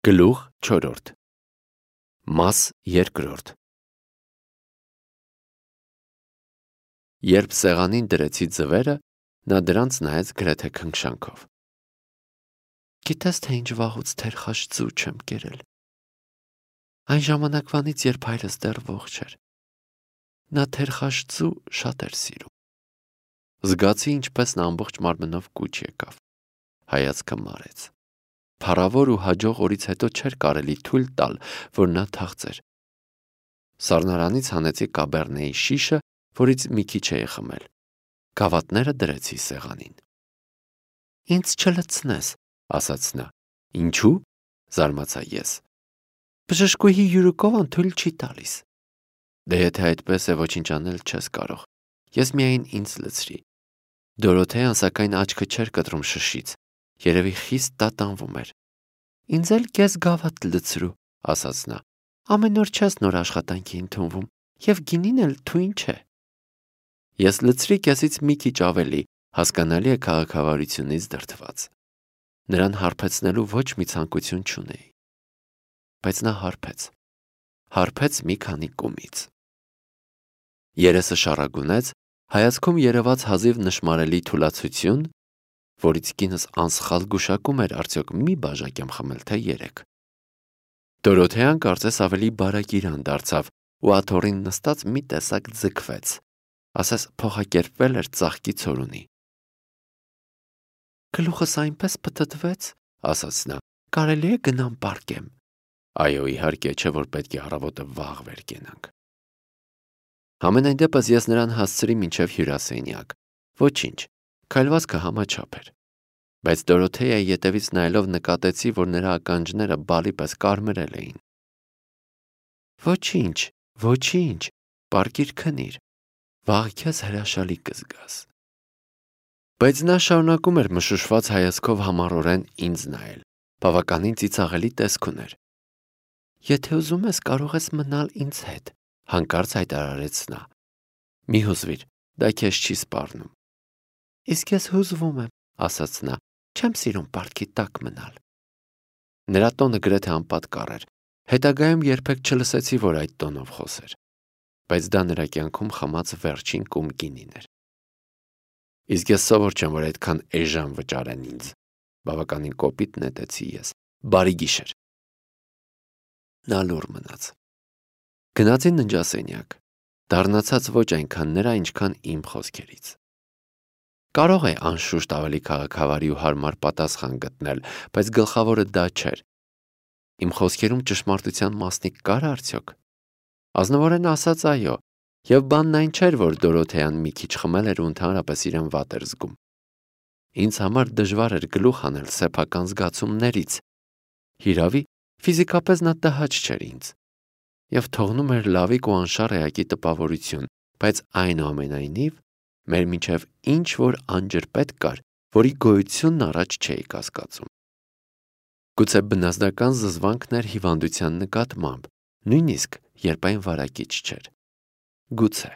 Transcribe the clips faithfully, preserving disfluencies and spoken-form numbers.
Գլուխ չորրորդ Մաս երկրորդ Երբ սեղանին դրեցի ձվերը, նա դրանց նայեց գրեթե քնքշանքով։ Գիտես, թե ինչ վաղուց թերխաշ ձու չեմ կերել։ Այն ժամանակվանից, երբ հայրս դեռ ողջ էր։ Նա թերխաշ ձու շատ էր սիրում։ Զգացի, ինչպես նա ամբողջ մարմնով կուչ եկավ։ Հայացքը մարեց։ Փառավոր ու հաջող օրից հետո չէր կարելի թույլ տալ, որ նա թախծեր։ Սառնարանից հանեցի կաբերնեի շիշը, որից մի քիչ էի խմել։ Գավաթները դրեցի սեղանին։ Ինձ չլցնես, ասաց նա։ Ինչու՞, զարմացա ես։ Բժշկուհի Յուրուկովան թույլ չի տալիս։ Դե եթե այդպես է, ոչինչ անել չես կարող։ Ես միայն ինձ լցրի։ Դորոթեան սակայն աչքը չէր կտրում շշից։ Երևի խիստ տատանվում էր։ Ինձ էլ կես գավաթ լցրու, ասաց նա։ Ամեն օր չես նոր աշխատանքի ընդունվում, և գինին էլ թույն չէ։ Ես լցրի կեսից մի քիչ ավելի, հասկանալի է քաղաքավարությունից դրդված։ Նրան հարբեցնելու ոչ մի ցանկություն չունեի։ Բայց նա հարբեց։ Հարբեց մի քանի կումից։ Երեսը շառագունեց, հայացքում երևաց հազիվ նշմարելի թուլացություն, որից կինս անսխալ գուշակում էր արդյոք մի բաժակ եմ խմել, թե երեք։ Դորոթեան կարծես ավելի բարակիրան դարձավ ու աթոռին նստած մի տեսակ ձգվեց, ասես փոխակերպվել էր ծաղկի ցորունի։ Գլուխս այնպես պտտվեց, ասաց նա, կարելի է գնամ պառկեմ։ Այո, իհարկե, չէ որ պետք է առավոտը վաղ վեր կենանք։ Համենայն դեպս ես նրան հասցրի մինչև հյուրասենյակ։ Ոչինչ, քայլվածքը համաչափ էր։ Բայց Դորոթեայի ետևից նայելով նկատեցի, որ նրա ականջները բալի պես կարմրել էին։ Ոչինչ, ոչինչ, պառկիր քնիր, վաղ քեզ հրաշալի կզգաս։ Բայց նա շարունակում էր մշուշված հայացքով համառորեն ինձ նայել, բավականին ծիծաղելի տեսք ուներ։ Եթե ուզում ես, կարող ես մնալ ինձ հետ, հանկարծ հայտարարեց նա։ Մի հուզվիր, դա քեզ չի սպառնում։ Իսկ ես հուզվում եմ, ասաց նա, չեմ սիրում պարտքի տակ մնալ։ Նրա տոնը գրեթե անպատկառ էր։ Հետագայում երբեք չլսեցի, որ այդ տոնով խոսեր։ Բայց դա նրա կյանքում խմած վերջին կում գինին էր։ Իսկ ես սովոր չեմ, որ այդքան էժան վճարեն ինձ, բավականին կոպիտ նետեցի ես։ Բարի գիշեր։ Նա լուռ մնաց։ Գնացի ննջասենյակ, դառնացած ոչ այնքան նրա, ինչքան իմ խոսքերից։ Կարող է անշուշտ ավելի քաղաքավարի ու հարմար պատասխան գտնել, բայց գլխավորը դա չէր։ Իմ խոսքերում ճշմարտության մասնիկ կար արդյոք։ Ազնվորեն ասած այո, և բանն այն չէր, որ Դորոթեան մի քիչ խմել էր ու ընդհանրապես իրեն վատ էր զգում։ Ինձ համար դժվար էր գլուխ հանել սեփական զգացումներից։ Հիրավի, ֆիզիկապես նա տհաճ չէր ինձ։ Եվ թողնում էր լավիկ ու անշառ էակի տպավորություն, բայց այնուամենայնիվ մեր միջև ինչ-որ անջրպետ կար, որի գոյությունն առաջ չէի կասկածում։ Գուցե բնազդական զզվանքն էր հիվանդության նկատմամբ, նույնիսկ երբ այն վարակիչ չէր։ Գուցե։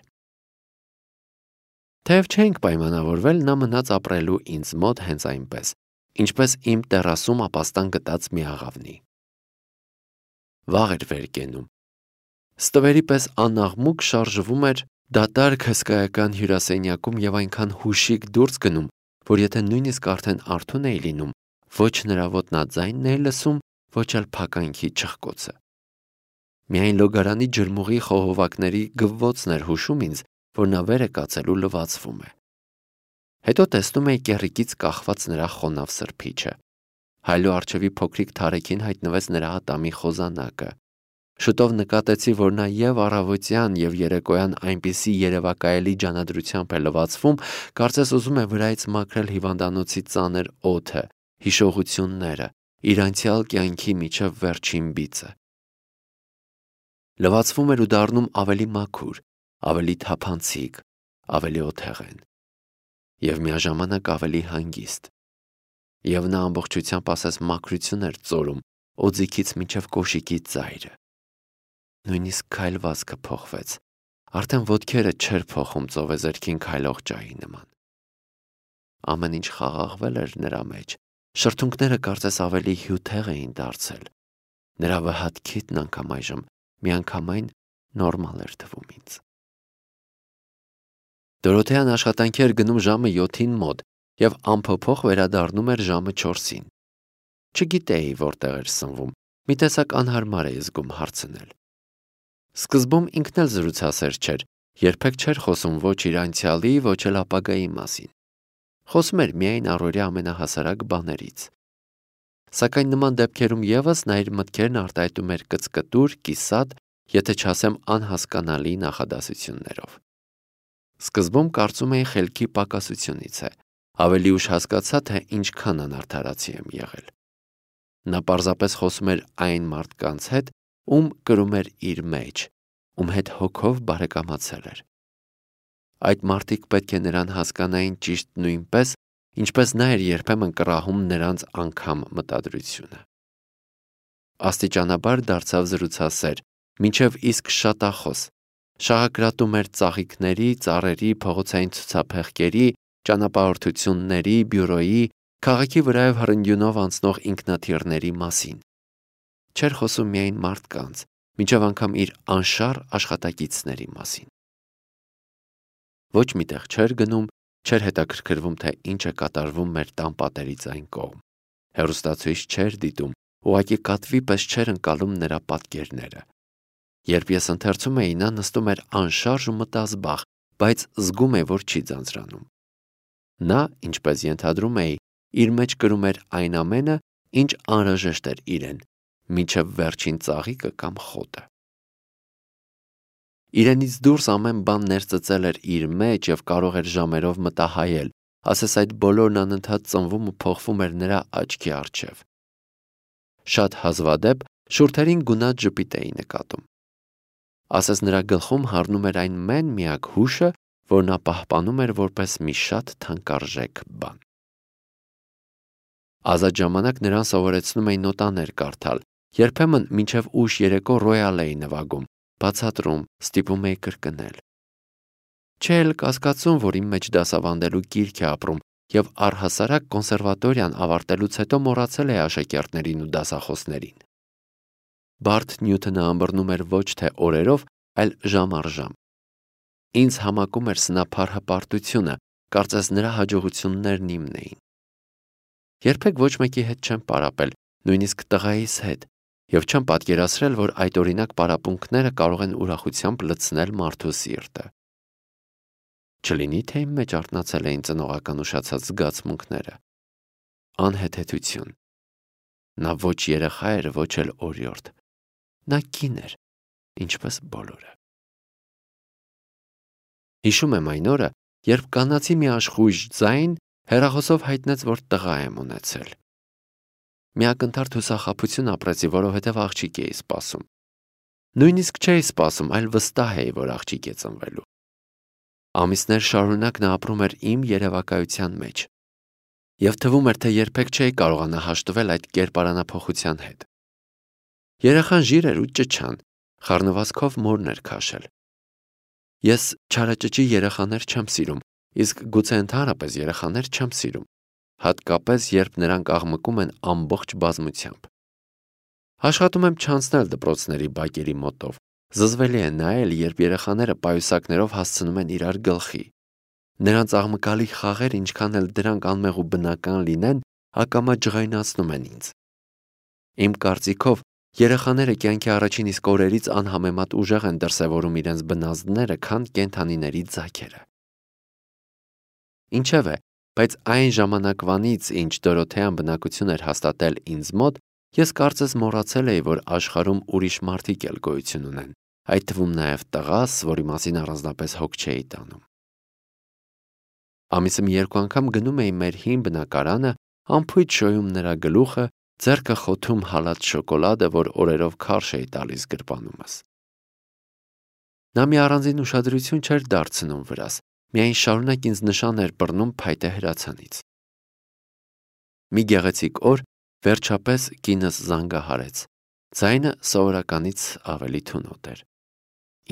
Թեև չէինք պայմանավորվել, նա մնաց ապրելու ինձ մոտ հենց այնպես, ինչպես իմ տեռասում ապաստան գտած մի աղավնի։ Վաղ էր վեր կենում։ Ստվերի պես անաղմուկ շարժվում էր դատարկ հսկայական հյուրասենյակում և այնքան հուշիկ դուրս գնում, որ եթե նույնիսկ արդեն արթուն էի լինում, ոչ նրա ոտնաձայնն էի լսում, ոչ էլ փականքի չխկոցը։ Միայն լոգարանի ջրմուղի խողովակների գվվոցն էր հուշում ինձ, որ նա վեր է կացել ու լվացվում է։ Հետո տեսնում էի կեռիկից կախված նրա խոնավ սրբիչը։ Հայլու առջևի փոքրիկ թարեքին հայտնվեց նրա ատամի խոզանակը։ Շուտով նկատեցի, որ նա և առավոտյան և երեկոյան այնպիսի երևակայելի ջանադրությամբ է լվացվում, կարծես ուզում է վրայից մաքրել հիվանդանոցի ծանր օդը, հիշողությունները, իր անցյալ կյանքի մինչև վերջին բիծը։ Լվացվում էր ու դառնում ավելի մաքուր, ավելի թափանցիկ, ավելի օթեղեն և միաժամանակ ավելի հանգիստ։ Եվ նա ամբողջությամբ ասես մաքրություն էր ծորում օձիքից մինչև կոշիկի ծայրը։ Նույնիսկ քայլվածքը փոխվեց, արդեն ոտքերը չէր փոխում ծովեզերքին քայլող ջահի նման։ Ամեն ինչ խաղաղվել էր նրա մեջ, շրթունքները կարծես ավելի հյութեղ էին դարձել, Նրա վհատքիթն անգամ այժմ միանգամայն նորմալ էր թվում ինձ։ Դորոթեան աշխատանքի էր գնում ժամը յոթին մոտ և անփոփոխ վերադառնում էր ժամը չորսին։ Չգիտեի որտեղ էր սնվում, մի տեսակ անհարմար էի զգում հարցնել։ Սկզբում ինքն էլ զրուցասեր չէր, երբեք չէր խոսում ոչ իր անցյալի, ոչ էլ ապագայի մասին։ Խոսում էր միայն առօրյա ամենահասարակ բաներից։ Սակայն նման դեպքերում ևս նա իր մտքերն արտահայտում էր կծկտուր, կիսատ, եթե չասեմ անհասկանալի նախադասություններով։ Սկզբում կարծում էի խելքի պակասությունից է, ավելի ուշ հասկացա, թե ինչքան անարդարացի եմ եղել։ Նա պարզապես խոսում էր այն մարդկանց հետ, ում կրում էր իր մեջ, ում հետ հոգով բարեկամացել էր։ Այդ մարդիկ պետք է նրան հասկանային ճիշտ նույնպես, ինչպես նա էր երբեմն կռահում նրանց անգամ մտադրությունը։ Աստիճանաբար դարձավ զրուցասեր, մինչև իսկ շատախոս, շաղակրատում էր ծաղիկների, ծառերի, փողոցային ցուցափեղկերի, ճանապարհորդությունների, բյուրոյի, քաղաքի վրայով հռնդյունով անցնող ինքնաթիռների մասին։ Չէր խոսում միայն մարդկանց, մինչև անգամ իր անշառ աշխատակիցների մասին։ Ոչ մի տեղ չէր գնում, չէր հետաքրքրվում, թե ինչ է կատարվում մեր տան պատերից այն կողմ։ Հեռուստացույց չէր դիտում, ուղղակի կատվի պես չէր ընկալում նրա պատկերները։ Երբ ես ընթերցում էի, նա նստում էր անշարժ ու մտազբաղ, բայց զգում էր, որ չի ձանձրանում։ Նա, ինչպես ենթադրում էի, իր մեջ կրում էր այն ամենը, ինչ անհրաժեշտ էր իրեն, մինչև վերջին ծաղիկը կամ խոտը։ Իրենից դուրս ամեն բան ներծծել էր իր մեջ և կարող էր ժամերով մտահայել, ասես այդ բոլորն անընդհատ ծնվում ու փոխվում էր նրա աչքի առջև։ Շատ հազվադեպ շուրթերին գունատ ժպիտ էի նկատում։ Ասես նրա գլխում հառնում էր այն մեն-միակ հուշը, որ նա պահպանում էր որպես մի շատ թանկարժեք բան։ Ազատ ժամանակ նրան սովորեցնում էի նոտաներ կարդալ, երբեմն մինչև ուշ երեկո ռոյալ էի նվագում, բացատրում, ստիպում էի կրկնել։ Չէ էլ կասկածում, որ իմ մեջ դասավանդելու կիրք է ապրում, և առհասարակ կոնսերվատորիան ավարտելուց հետո մոռացել էի աշակերտներին ու դասախոսներին։ Բարդ Նյութոնը ըմբռնում էր ոչ թե օրերով, այլ ժամ առ ժամ։ Ինձ համակում էր սնափառ հպարտությունը, կարծես նրա հաջողություններն իմն էին։ Երբեք ոչ մեկի հետ չեմ պարապել, նույնիսկ տղայիս հետ, և չեմ պատկերացրել, որ այդ օրինակ պարապմունքները կարող են ուրախությամբ լցնել մարդու սիրտը։ Չլինի, թե իմ մեջ արթնացել էին ծնողական ուշացած զգացմունքները։ Անհեթեթություն։ Նա ոչ երեխա էր, ոչ էլ օրիորդ։ Նա կին էր, ինչպես բոլորը։ Հիշում եմ այն օրը, երբ կանացի մի աշխույժ ձայն հեռախոսով հայտնեց, որ տղա եմ ունեցել։ Մի ակնթարթ հուսախաբություն ապրեցի, որովհետև աղջիկ էի սպասում։ Նույնիսկ չէի սպասում, այլ վստահ էի, որ աղջիկ է ծնվելու։ Ամիսներ շարունակ նա ապրում էր իմ երևակայության մեջ, և թվում էր, թե երբեք չէի կարողանա հաշտվել այդ կերպարանափոխության հետ։ Երեխան ժիր էր ու ճչան, խառնվածքով մորն էր քաշել։ Ես չարաճճի երեխաներ չեմ սիրում, իսկ գուցե ընդհանրապես երեխաներ չեմ սիրում, հատկապես երբ նրանք աղմկում են ամբողջ բազմությամբ։ Աշխատում եմ չանցնել դպրոցների բակերի մոտով։ Զզվելի է նայել, երբ երեխաները պայուսակներով հասցնում են իրար գլխի։ Նրանց աղմկալի խաղեր, ինչքան էլ դրանք անմեղ ու բնական լինեն, ակամա ջղայնացնում են ինձ։ Իմ կարծիքով, երեխաները կյանքի առաջին իսկ օրերից անհամեմատ ուժեղ են դրսևորում իրենց բնազդները, քան կենդանիների ձագերը։ Ինչևէ, բայց այն ժամանակվանից, ինչ Դորոթեան բնակություն էր հաստատել ինձ մոտ, ես կարծես մոռացել էի, որ աշխարհում ուրիշ մարդիկ էլ գոյություն ունեն, այդ թվում նաև տղաս, որի մասին առանձնապես հոգ չէի տանում։ Ամիսը մի երկու անգամ գնում էի մեր հին բնակարանը, ամփույթ շոյում նրա գլուխը, ձեռքը խոթում հալած շոկոլադը, որ օրերով քարշ էի տալիս գրպանումս։ Նա մի առանձին ուշադրություն չէր դարձնում վրաս, միայն շարունակ ինձ նշան էր բռնում փայտե հրացանից։ Մի գեղեցիկ օր վերջապես կինս զանգահարեց, ձայնը սովորականից ավելի թունոտ էր։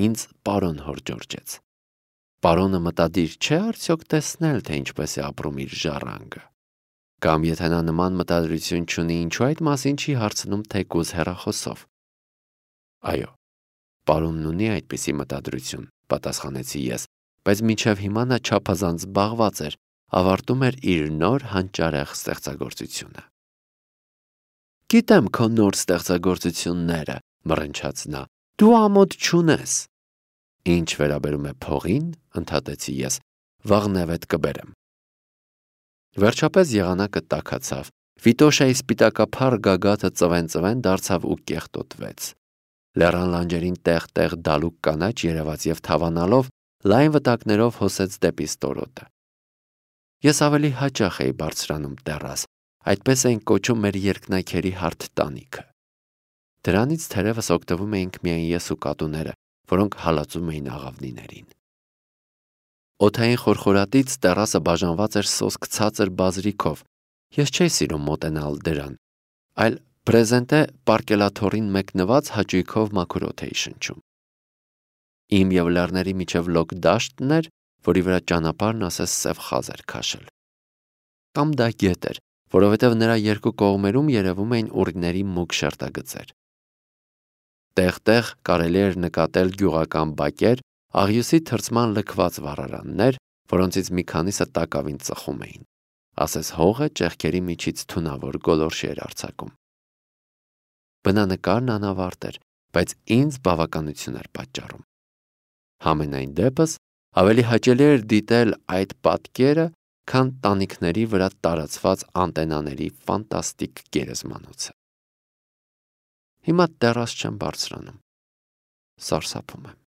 Ինձ պարոն հորդորջեց։ Պարոնը մտադիր չէ արդյոք տեսնել, թե ինչպես է ապրում իր ժառանգը։ Կամ եթե նա նման մտադրություն չունի, ինչու այդ մասին չի հարցնում թեկուզ հեռախոսով։ Այո, պարոնն ունի այդպիսի մտադրություն, պատասխանեցի ես, բայց մինչև հիմա նա չափազանց զբաղված էր, ավարտում էր իր նոր հանճարեղ ստեղծագործությունը։ Գիտեմ քո նոր ստեղծագործությունները, մռնչաց նա, դու ամոթ չունես։ Ինչ վերաբերում է փողին, ընդհատեցի ես, վաղնևեթ կբերեմ։ Վերջապես եղանակը տաքացավ, Վիտոշայի սպիտակափառ գագաթը ծվեն-ծվեն դարձավ ու կեղտոտվեց։ Լեռան լանջերին տեղ-տեղ դալուկ կանաչ երևաց և թավանալով լայն վտակներով հոսեց դեպի ստորոտը։ Ես ավելի հաճախ էի բարձրանում տեռաս, այդպես էինք կոչում մեր երկնաքերի հարթ տանիքը։ Դրանից թերևս օգտվում էինք միայն ես ու կատուները, որոնք հալածում էին աղավնիներին։ Օդային խորխորատից տեռասը բաժանված էր սոսկ ցածր բազրիքով, ես չէի սիրում մոտենալ դրան, այլ պրեզենտե պարկելաթոռին մեկնված հաճույքով մաքուր օդ էի շնչում։ Իմ և լեռների միջև լոկ դաշտն էր, որի վրա ճանապարհն ասես սև խազ էր քաշել։ Կամ դա գետ էր, որովհետև նրա երկու կողմերում երևում էին ուռիների մուգ շերտագծեր։ Տեղ-տեղ կարելի էր նկատել գյուղական բակեր, աղյուսի թրծման լքված վառարաններ, որոնցից մի քանիսը տակավին ծխում էին, ասես հողը ճեղքերի միջից թունավոր գոլորշի էր արձակում։ Բնանկարն անավարտ էր, բայց ինձ բավականություն էր պատճառում։ Համենայն դեպս ավելի հաճելի էր դիտել այդ պատկերը, քան տանիքների վրա տարածված անտենաների ֆանտաստիկ գերեզմանոցը։ Հիմա տեռաս չեմ բարձրանում։ Սարսափում եմ։